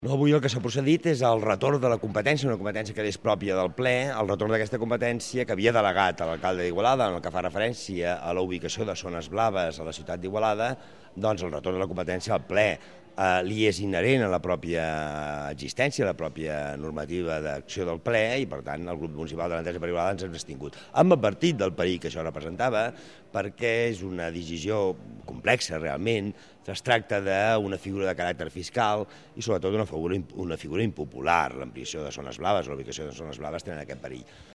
No, avui el que s'ha procedit és el retorn de la competència, una competència que és pròpia del ple, el retorn d'aquesta competència que havia delegat a l'alcalde d'Igualada, en el que fa referència a la ubicació de zones blaves a la ciutat d'Igualada, doncs el retorn de la competència al ple li és inherent a la pròpia existència, a la pròpia normativa d'acció del ple, i per tant el grup municipal de l'Entesa per Igualada ens hem abstingut. Hem advertit del perill que això representava, perquè és una decisió complexa realment, es tracta d'una figura de caràcter fiscal i sobretot una figura impopular. L'ampliació de zones blaves, la ubicació de zones blaves tenen aquest perill.